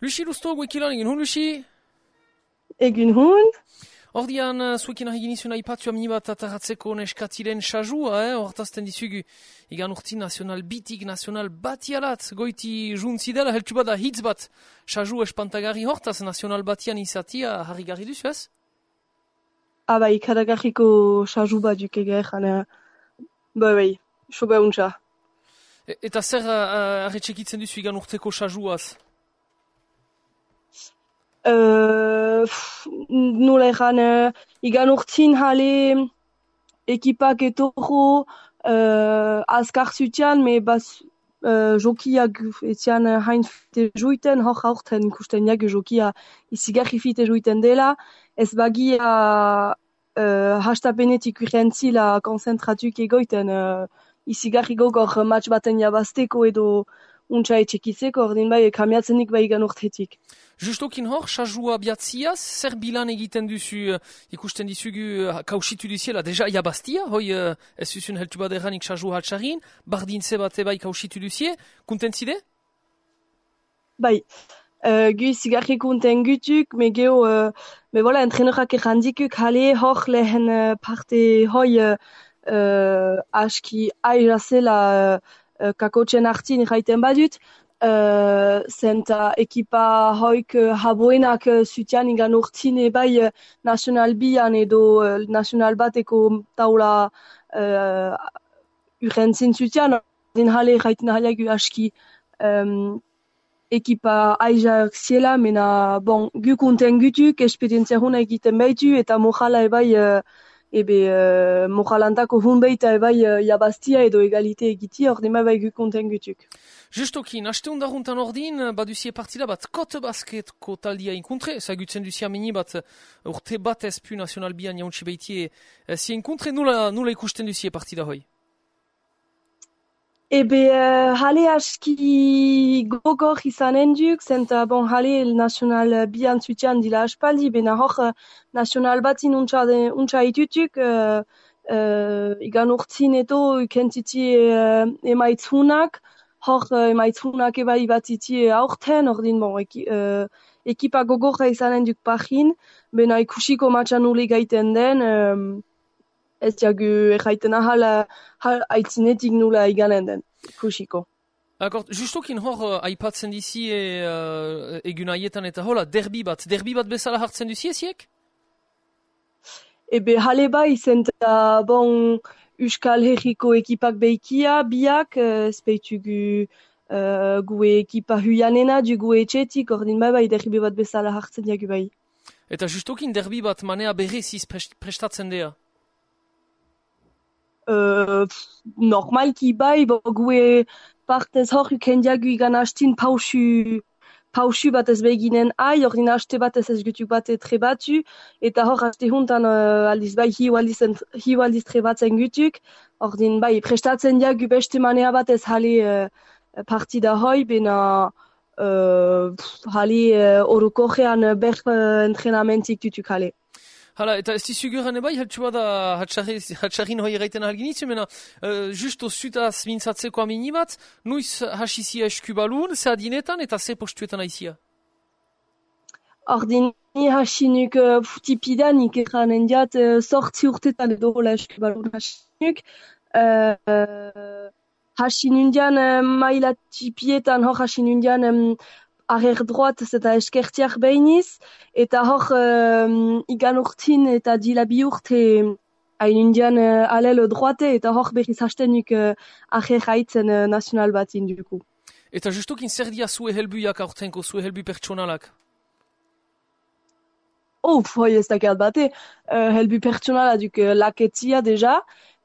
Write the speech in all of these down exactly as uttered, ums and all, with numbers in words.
Lucy Lusto, guekilan, egin hun, Lucy? Egin hun? Ordian, uh, zuekin nahi genizun aipatu amini bat ataratzeko neskatilen sajua, eh? Hortazten dizugu, igan urti nazional bitik, nazional batialat, goiti juntzidela, heltu bada hitz bat, saju espantagarri hortaz, nazional batian izatia, harri garri duzu, ez? Aba, ikadagarriko saju bat dukege, jana, bai, bai, sobe untza. E eta zer uh, arretxekitzen duzu igan urteko sajuaz? Uh, nola egan, uh, igan urtin jale ekipak etorro uh, azkar zutian, me baz uh, jokiak etian hain fite joiten, hor haurten ikusten jak jokia izigarri fite joiten dela, ez bagia uh, hastapenetik urrentzila konzentratuk egoiten, uh, izigarri gogor match baten jabazteko edo untsa etxekizeko, ordin bai, kamiatzenik bai igan urtetik. Justokin hor, sajua biatziaz, zer bilan egiten duzu, uh, ikusten dizugu uh, kausitu duziela, deja jabaztia, hoi uh, ez zuzun heltu bat erranik sajua hatxarin, bardintze bat ebai kausitu duzie, kuntentzide? Bai, uh, gu zigarri kunten gutuk, me geho, uh, me bola, entrenorak errandikuk, hale hor lehen uh, parte hoi uh, uh, aski aizazela uh, kakotxen hartin erraiten badut, Uh, zenta ekipa hoik uh, haboenak uh, zutian igan urtine bai uh, nasional bian edo uh, nasional bateko taula uh, urrentzin zutian, din jale erraiten jaleagu aski um, ekipa aizak ziela, mena bon, gu kunten gutuk, esperientzia huna egiten baitu, eta mojala ebai uh, ebe uh, mojalantako hun baita ebai uh, jabaztia edo egalite egiti, ordin bai gu kunten gutuk. Justokin, haste undaruntan ordin, baduzie partida bat kot basketko taldia inkontre, zagutzen duzia mini bat urte bat ezpu nazional bian jauntsi baitie zie inkontre, nula, nula ikusten duzie partida hoi? Ebe, uh, hale aski gogor izanen duk, zenta bon, hale nazional bian zutian dila aspaldi, bena hor uh, nazional batin untsa, untsa itutuk, uh, uh, igan urtzin eto ukentiti uh, emaitzunak, hor uh, emaitzunak ebai bat iti aurten, ordin bon, eki, uh, ekipa gogorra izanen duk pahin, bena ikusiko matxan nule gaiten den, um, ez jagu erraiten ahal, ahal aitzinetik nula iganen den, ikusiko. Akort, justokin hor uh, aipatzen dizi e, uh, egun aietan eta hola, derbi bat, derbi bat bezala hartzen duzi eziek? Ebe hale bai, zenta bon, Euskal Herriko ekipak beikia, biak, ezpeitugu uh, gue ekipa huianena, du gue etxetik, ordin bai bai derbi bat bezala hartzen jagu bai. Eta justokin derbi bat manea bereziz prestatzen dea? Uh, normalki bai, bo gue partez hor uken jagu igan hastin pausu, pausu bat ez beginen ai, ordin haste bat ez ez gutuk bat trebatu, eta hor haste huntan uh, aldiz bai hiu aldiz, hiu aldiz trebatzen gutuk, ordin bai prestatzen jagu beste manea bat ez hale uh, partida hoi, bena uh, hale uh, orokojean ber uh, entrenamentik dutuk hale. Hala, eta ez dizuguran ebai, heltu bada hatxarrin hoi erraiten ahalginitzu, mena uh, justo zutaz mintzatzeko amini bat, nuiz hasizia eskubalun, ze adinetan eta ze postuetan aizia? Ordin, ni hasinuk uh, tipidan ikeran diat uh, sortzi urtetan edo hola eskubalun hasinuk, uh, uh, hasinundian uh, maila tipietan hor hasinundian um, arrer droat eta eskertiak behiniz, eta hor um, igan urtin eta dila bi urte hain indian uh, alel droate, eta hor berriz hastenuk uh, arrer haitzen uh, nazional bat induku. Eta justokin zer dia zue helbuiak aurtenko, zue helbu pertsonalak? Oh, hoi ez dakat bate, uh, helbu pertsonala duk uh, laketzia deja,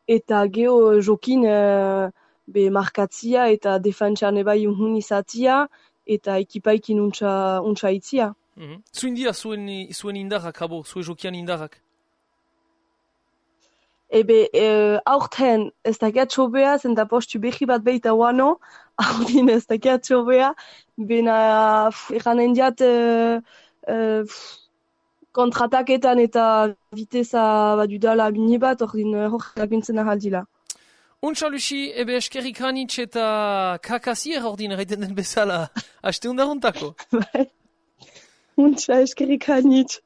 eta geho uh, jokin uh, be markatzia eta defentsan ebai unhun izatia, eta ekipaikin untsa, untsa itzia. Mm-hmm. Zuen dia zuen, zuen indarrak, habo, zuen jokian indarrak? Ebe, e, aurten ez dakiat txobea, zenta postu behi bat behita wano, aurdin ez dakiat txobea, bena eranen diat e, e, kontrataketan eta viteza badudala mini bat, ordin hor laguntzen ahaldila. Untsa, Lucy, ebe eskerrik hanitz eta kakazier ordin erraiten den bezala, haste undaruntako. Untsa eskerrik hainitz.